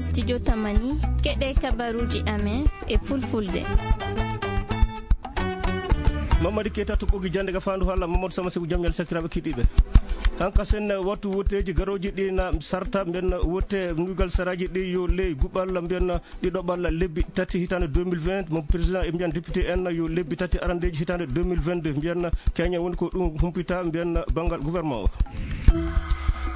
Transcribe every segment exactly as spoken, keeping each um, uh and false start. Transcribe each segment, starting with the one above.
Studio Tamani, keɗe kabaruji amen e fulfulde. Mamadi Keita to ɓogi jande ga fandu hala Mamadou Sama Seku jam ñal sakiraɓe kiɗiɓe. Hanka sen wattu woteji garoji ɗi na sarta mbiyan wote nugal saraji ɗi yo ley guɓal mbiyan ɗiɗo ɓalla lebbi tati hitande deux mille vingt, mo président e mbiyan député en yo lebbi tati arandeji hitande deux mille vingt-deux mbiyan. Kenya woni ko ɗum humpita mbiyan bangal gouvernement o.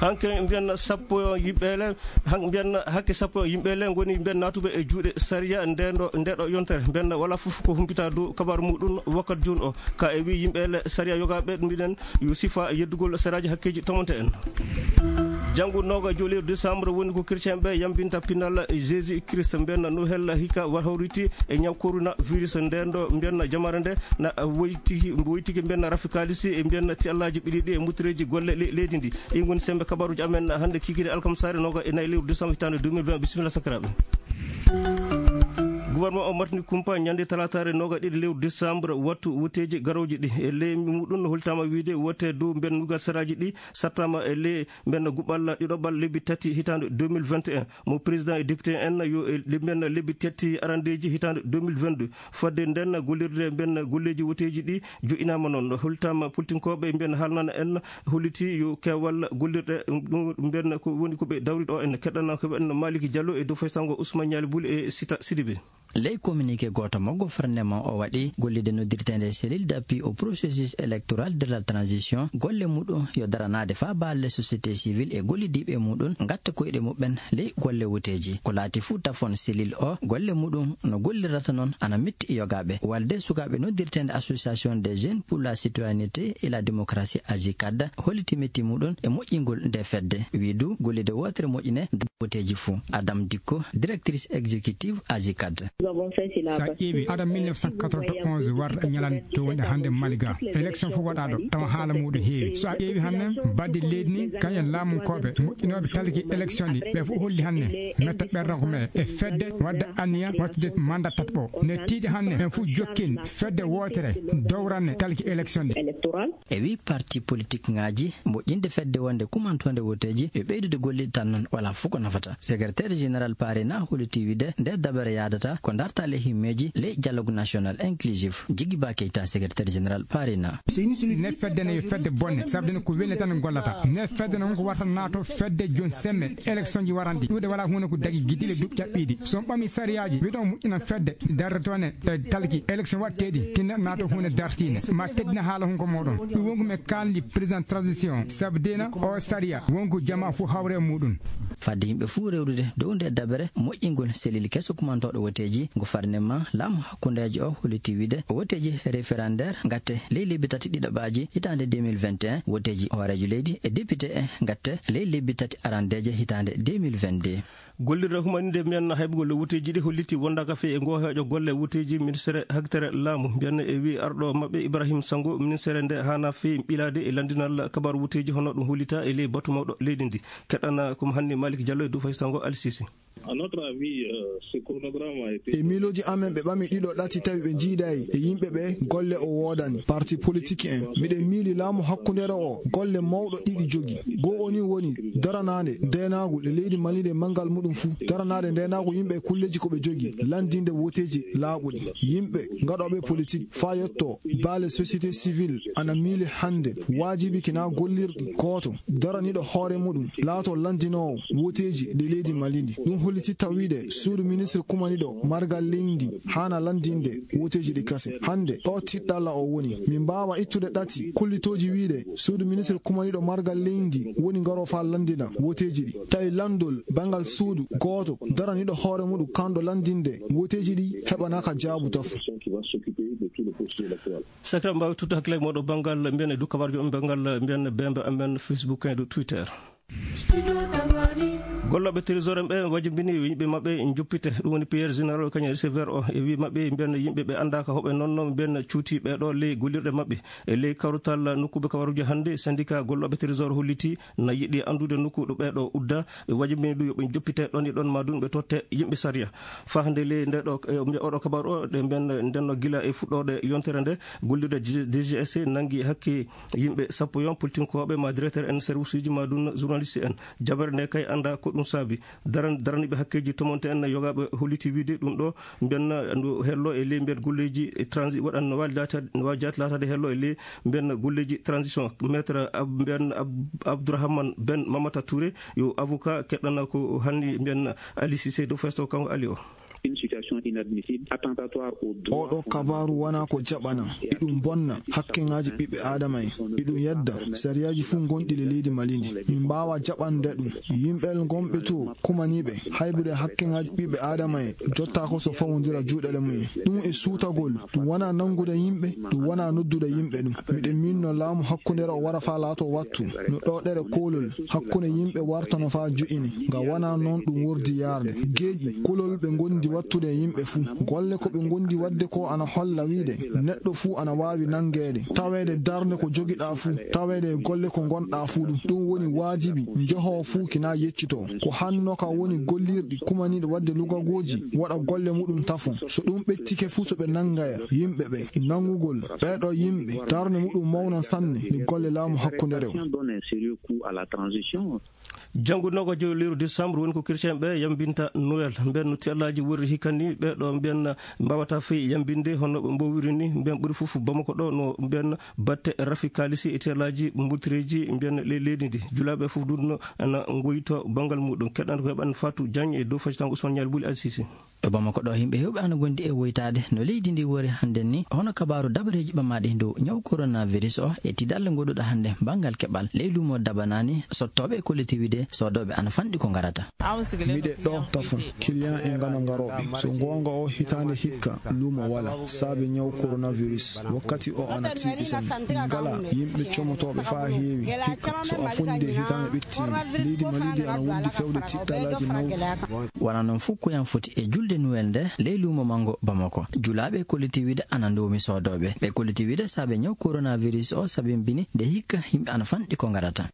Hanke mbiyan sappo yimɓele, han mbiyan hakke sappo yimɓele ngoni mbiyan natuɓe e juuɗe sariya ndendo ndeɗo yontere mbiyan wala fof ko humpita dow kabaru muɗum wakkat jun o. Ka e wi yimɓele sariya yogaɓe mbiɗen yo sifa yeddugol saraji hakkeji tomonte en. Janngo noga joli décembre woni ko chrétien ɓe yambinta pinal Jésus Christ mbiyan no hella hika war hawriti e ñaw corona virus ndendo mbiyan jamare nde na woytiki woytiki mbiyan rafi kalisi e mbiyan ti allaji ɓiɗi ɗi e muttereji golle le- leydi ndi. Ɗi ngoni sembe kabaruji amen hande kikiri alkamsare noga e nayi lewru décembre hitande deux mille vingt. Bisimilla sakiraɓe. Gouvernement o martini kumpa ñande talatare noga ɗiɗi lewru décembre wattu woteji garoji ɗi e leymi muɗum no holtama wiide wote dow mbiyan nugal saraji ɗi sattama e ley mbiyan guɓal ɗiɗoɓal lebbi tati hitande deux mille vingt et un. Mo président e député en yo e mbiyan lebbi tati arandeji hitande deux mille vingt-deux. Fodde nden gollirde mbiyan golleji woteji ɗi joƴinama noon holtama politinkoɓe mbiyan haalnana en holliti yo kewal gollirɗe ɗum mbiyan ko woni koɓe dawri ɗo en keɗɗana koɓe en Maliki Diallo e dow faysango Ousmane Ñaali Buli e Sita Sidibe. Ley communiqué gooto mo gouvernement o waɗi gollide noddirteende cellule d'appui au processus électoral de la transition golle muɗum yo daranaade faa baalle société civile e gollidiiɓe muɗum ngatta koyɗe muɓɓen ley golle woteeji ko laati fuu tafon cellule o golle muɗum no gollirata noon ana metti e yogaaɓe walde sukaaɓe noddirteende association des jeunes pour la citoyenneté et la démocratie agicad holliti metti muɗum e moƴƴingol nde fedde wii du gollide wootere moƴƴine woteeji fuu Adam Dikko directrice exécutive agicad. So a ƴeewi aɗa mille neuf cent quatre-vingt-onze warɗa ñalande to wonɗe hannde Mali ga élection fof waɗaɗo tawa haala muɗum heewi so a ƴeewi hannde badde leydi ni kañum laamunkoɓe moƴƴinoɓe talki élection ɗi ɓe fof holli hannde metta ɓerɗo ko me e fedde wadde anniya wattude mandat tataɓo ne tiiɗi hannde ɓen fof jokkini fedde wootere dowranne talki élection ɗi. E wii parti politik ŋaaji moƴƴinde fedde wonde kumantoonde woteeji e ɓeydude golliɗe tan noon walaa fof ko nafata. Secrétaire général parina holiti wiide nde dabere yaadata ko dartaale himmeeji ley dialogue national inclusif. Jiggi ba keyta secrétaire général parina. Ne fedde ne yo fedde bonne sabde ne ko welle tan gollata ne fedde ne wonko warta naato fedde jooni semme élection ji waranɗi ɗuuɗe walaa huunde ko dagi giddiile duuɓi caɓɓiiɗi so on ɓami sariyaaji wiɗo on moƴƴinan fedde darde toon e talki élection waɗteeɗi tinna naato huunde dartiinde ma teddina haala hunko mooɗon ɗum wonko mi kaalndi président transition sabu deena o sariya wonko jamaa fof hawre e muɗum. Fadde yimɓe fof rewrude dow nde dabere moƴƴingol selil keso kumantooɗo woteeji ngo farnima laamu hakkundeejo o holliti wiide woteeji référendaire ngatte ley lebbi tati ɗiɗaɓaaji hitaande deux mille vingt et un woteeji hooreejo leydi e député en ngatte ley lebbi tati arandeeje hitaande deux mille vingt-deux. Gollirde humaninde mbiyan haybugol woteeji ɗi holliti wondaaka fii e ngoo heeƴo golle woteeji ministere hagtere laamu mbiyan e wii arɗo maɓɓe Ibrahim Sango ministere nde haana fii ɓilaade e lanndinal kabaru woteeji hono ɗum hollita e ley batu mawɗo leydi ndi. Keɗɗana ko mo hanni Malik Diallo e Dufay Sango Alsisi. E miilooji amen ɓe ɓami ɗiɗo ɗati tawi ɓe njiidayi e yimɓe ɓe golle o woodani parti politique en miɗen miili laamu hakkundeere o golle mawɗo ɗiɗi jogi goo o ni woni daranaade ndeenaagu e leydi Mali nde manngal muɗum fuu daranaade ndeenaagu yimɓe e kulleeji ko ɓe jogi lanndinde woteeji laaɓuɗi yimɓe ngaɗooɓe politique faa yotto baale société civile ana miili hannde waajibi kina gollirɗi gooto daraniiɗo hoore muɗum laato lanndinoowo woteeji ɗi leydi Mali ndi ɗum holliti tawiide suudu ministre kumaniiɗo margal leydi ndi haana lanndinde woteeji ɗi kase hannde ɗo tiɗɗalla o woni min mbaawa ittude ɗati kullitooji wiide suudu ministre kumaniiɗo margal leydi ndi woni ngaroo faa lanndina woteeji ɗi tawi lanndol banngal suudu gooto daraniiɗo hoore muɗum kanɗo lanndinde woteeji ɗi heɓanaaka jaabu tafo. Sakira mbaawi tuttu hakkille mooɗo banngal mbiyan e dukkabarjo on banngal mbiyan bembe amen Facebook en e twitter. Gollooɓe trésor en ɓe wajibini yimɓe maɓɓe joppite ɗum woni pierre général kañum receveur o e wi maɓɓe mbiyan yimɓe ɓe anndaaka hoɓe noon noon mbiyan cuuti ɓeɗo ley gollirɗe maɓɓe e ley kawrutal nokkuɓe kabaruji hannde syndicat gollooɓe trésor holliti na yiɗi anndude nokku ɗo ɓeɗo udda ɓe wajibini ɗum yoɓe joppite ɗon e ɗon ma ɗum ɓe totte yimɓe sariya. Fahde ley nde ɗo oɗo kabaru o ɗe mbiyan ndenno gila e fuɗɗoɗe yontere nde gollirde dgs nangi hakke yimɓe sappo yon politinkoɓe ma directeur en service uji ma ɗum journaliste en jabere nde kay annda ko ɗum. Saabi daran daraniiɓe hakkeeji tomonte en yogaaɓe holliti wiide ɗum ɗo mbiyen no hello e ley mbiyen golleeji transi waɗan no waawi laataade no waawi jaati laataade hello e ley mbiyen golleeji transition. Maître mbiyen Abdourahmane Ben Mamata Touré yo avocat keɗɗana ko hanni mbiyen Ali Cissé do festo kanko Ali o. Oɗo kabaaru wonaa ko jaɓana, iɗum bonna hakkeŋaaji ɓiɓɓe aadama en, iɗum yedda sariyaaji fuu gonɗi le leydi Mali ndi. Min mbaawaa jaɓande ɗum. Yimɓe gonɓe to kumaniiɓe haybude hakkeŋaaji ɓiɓɓe aadama en jottaako so fawondira juuɗe le mum en. Ɗum e suutagol, ɗum wonaa nanngude yimɓe, ɗum wonaa noddude yimɓe ɗum. Miɗen miinno laamu hakkundeere o wara faa laatoo wattu, no ɗoɗere koolol hakkunde yimɓe wartano faa jo'ini, nga wonaa noon ɗum wordi yaarde. Geeƴi kulol ɓe ngondi wattude e yimɓe fuu. Golle ko ɓe ngondi waɗde ko ana holla wiide neɗɗo fuu ana waawi nanngeede, taweede darnde ko jogiɗaa fuu, taweede e golle ko ngonɗaa fuu ɗum. Ɗum woni waajibi, njohoo fuu kinaa yeccitoo. Ko hanno ka woni gollirɗi kumaniiɗi waɗde lugagooji waɗa golle muɗum tafon. So ɗum ɓettike fuu so ɓe nanngaya yimɓe ɓe, nanngugol ɓeeɗo yimɓe darnde muɗum mawnan sanne e golle laamu hakkundeere o. Janngo noogaajo lewru décembre woni ko chrétien ɓe yambinta Noël. Mbiyen no tiyallaaji worri hikka ni ɓeeɗo mbiyen mbaawata fey yambinde hono ɓe mboowiri ni. Mbiyen ɓuri fof Bamako ɗo no mbiyen batte rafi kaalisi e tiyallaaji mbultireeji mbiyen ley leydi ndi. Julaaɓe fof duɗno ana ngoyito banngal muɗum. Keɗɗan ko heɓan Fatou Diagne e dow facitango Ousmane Nial Bouli Al Sisi. To Bamako ɗo, yimɓe heewɓe ana ngondi e woytaade no leydi ndi wori hannden ni, hono kabaaru dabareeji ɓamaaɗi e dow ñaw coronavirus o e tiiɗalla ngoɗuɗo hannde banngal keɓal ley luumo dabanaani sottooɓe e kollitiwide soodooɓe ana fanɗi ko ngarata. Miɗe ɗo tafon kiliyan en ngano ngarooɓe. So goonga o hitaande hikka luumo wala saabe ñaw coronavirus. Wakkati o ana tiiɗi sanne. Ngala yimɓe comotooɓe faa heewi hikka so a fondii hitaande ɓettiinde. Leydi Mali ndi ana wondi fewde tiiɗallaaji mawɗi. Wonaa noon fof ko yam foti e julde Nuwel nde ley luumo manngo Bamako. Julaaɓe e kollitiwide ana ndoomi soodooɓe. Ɓe kollitiwide saabe ñaw coronavirus o sabimbini nde hikka yimɓe ana fanɗi ko ngarata.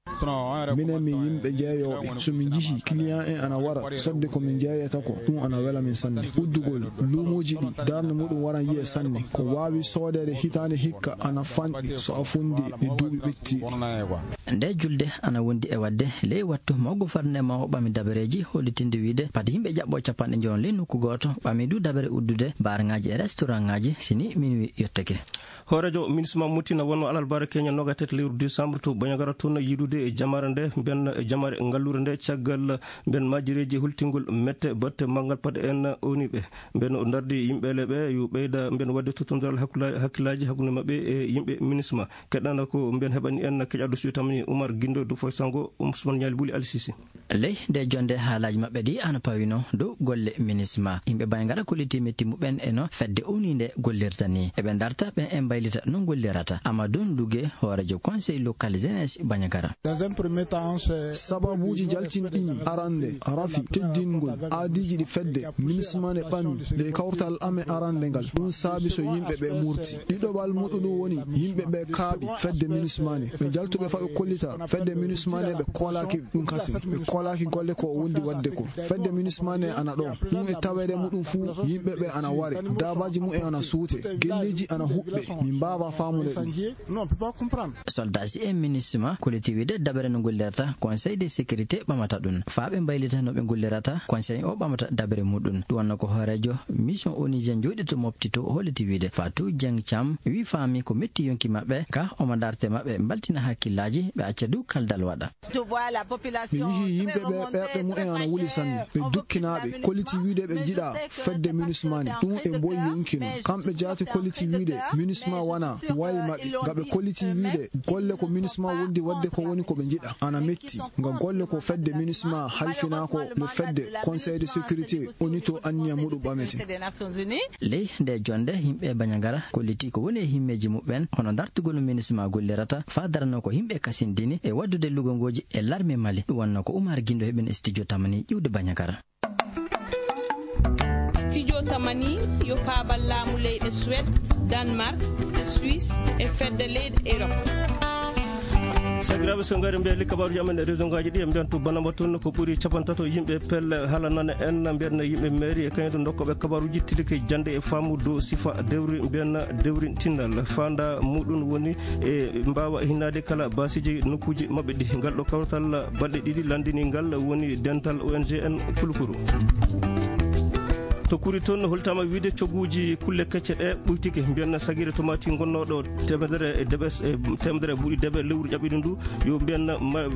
Minen mi yimɓe jeeyooɓe. So min njihii kiliyan en ana wara sodde ko min njeeyata ko, ɗum ana wela min sanne. Uddugol luumooji ɗi darnde muɗum waran yiye sanne. Ko waawi soodeede hitaande hikka ana fanɗi so a fondii e duuɓi ɓettiiɗi. Ndee julde ana wondi e waɗde ley wattu mawgo farnde mawo ɓami dabareeji hollitinde wiyde pati yimɓe jaɓɓo capanɗe njoyon ley nokku gooto ɓami du dabare uddude baarŋaaji e restauraŋaaji si ni minuwi yottake. Hooreejo minisma Moti na wonno alarbaare keñal noogaas e tati lewru décembre to Bandiagara toon yiidude e jamaare nde mbiyen jamaare ngalluure nde caggal mbiyen maajireeji holtingol mette batte manngal pade en oniɓe mbiyen o ndardi yimɓeele ɓe yo ɓeyda mbiyen waɗde tottondiral hakkillaaji hakkunde maɓɓe e yimɓe minisma. Keɗɗana ko mbiyen heɓani en keƴaɗo suyo tamani Oumar Guindo do foy sango Ousmane Niali Bouli Al Sisi. Ley nde jonnde haalaaji maɓɓe ɗi ana pawino dow golle minisma. Yimɓe Bandiagara kolliti metti muɓɓen e no fedde oniinde gollirta ni. Eɓe ndarta ɓen e mbaylita no gollirata. Amadou Nduge, hooreejo conseil local jeunesse Bandiagara. Sababuuji jaltinɗi mi arannde rafi teddingol aadiiji ɗi fedde minisma ne ɓami ley kawtal amen arannde ngal. Ɗum saabi so yimɓe ɓe murti. Ɗiɗoɓal muɗum ɗum woni yimɓe ɓe kaaɓi fedde minisma ne. Ɓe jaltuɓe fa ɓe kollita fedde minisma ne ɓe koolaaki ɗum kasin. Ɓe koolaaki golle ko o wondi waɗde ko. Fedde minisma ne ana ɗo. Ɗum e taweede muɗum fuu yimɓe ɓe ana ware. Daabaaji mumen ana suute. Gelleeji ana huɓɓe. Min mbaawaa faamude ɗum. Soldaasi e minisma kolliti wiyde dabere no gollirata conseil de sécurité ɓamata ɗum. Faa ɓe mbaylita no ɓe gollirata conseil o ɓamata dabere muɗum. Ɗum wonno ko hooreejo mission onusien jooɗiiɗo to Mopti to holliti wiyde Fatou Dieng Thiam wii faami ko metti yonki maɓɓe ka omo ndarte maɓɓe mbaltina hakkillaaji ɓe acca dow kaldal waɗa. Mi yihii yimɓe ɓe ɓerɗe mumen ana wuli sanne. Ɓe dukkinaaɓe kolliti wiyde ɓe njiɗaa fedde minisma ne. Ɗum e mboyi yonki non. Kamɓe jaati kolliti wiyde minisma wanaa wayi maɓɓe. Nga ɓe kolliti wiyde golle ko minisma wondi waɗde ko woni ko ɓe njiɗa ana metti. Nga golle ko fedde minisma halfinaa ko no fedde conseil de sécurité oni to anniya muɗum ɓamete. Ley nde jonnde yimɓe Bandiagara kolliti ko woni e himmeeji muɓɓen hono dartugol no minisma gollirata faa darano ko yimɓe kasindini e waɗdude lugongooji e larme Mali. Ɗum wonno ko Oumar Guindo heɓin e studio tamani ƴiwde Bandiagara. Studio tamani yo paabal laamu leyɗe Suède, Danemark, Suisse e fedde leyɗe Europe. Sakiraaɓe, so ngari mbiya li kabaruuji amen e région ngaaji ɗi, en mbiyan to Banamba toon ko ɓuri capantato yimɓe pelle halanana en, mbiyan yimɓe mairie e kañum to dokkooɓe kabaruuji tilike jannde e faamu dow sifa dewri, mbiyan dewri tinnal. Faanda muɗum woni e mbaawa hinnaade kala baasiiji nokkuuji maɓɓe ɗi. Ngal ɗo kawtal balɗe ɗiɗi lanndini ngal woni dental O N G en Kulukuru. To Kuri toon holtaama wiide cogguuji kulle kecce ɗe ɓuytike, mbiyan sagiri tomati gonnooɗo teemedere e deɓe, e teemedere buuɗi deɓe lewru ƴaɓɓiɗo ndu, yo mbiyan ma-,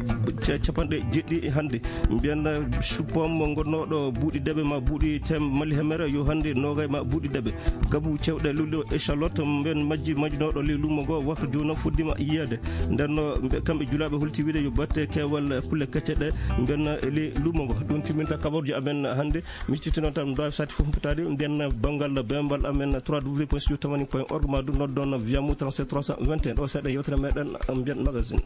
ca-, capanɗe jeɗɗi hannde. Mbiyan chou-pomme gonnooɗo buuɗi deɓe ma buuɗi tem-, mali hemere yo hannde noogay ma buuɗi deɓe. Gabu cewɗe lulɗo échalote mbiyan majji majjinooɗo ley luumo ngo, waktu jooni o fuɗɗiima yiyeede. Nden no mbe-, kamɓe julaaɓe holti wiide yo batte keewal kulle kecce ɗe mbiyan e ley luumo ngo. Ɗum timminta kabaruuji amen hannde. Mi cifti noon tan, ɗum ɗo sati fof mbaɗaade, nden banngal bembal amen trois W point studio tamani point org, ma ɗum noddon via mo trente-sept trois cent vingt et un. Ɗo seeɗa yewtere meɗen, mbiyan magazine.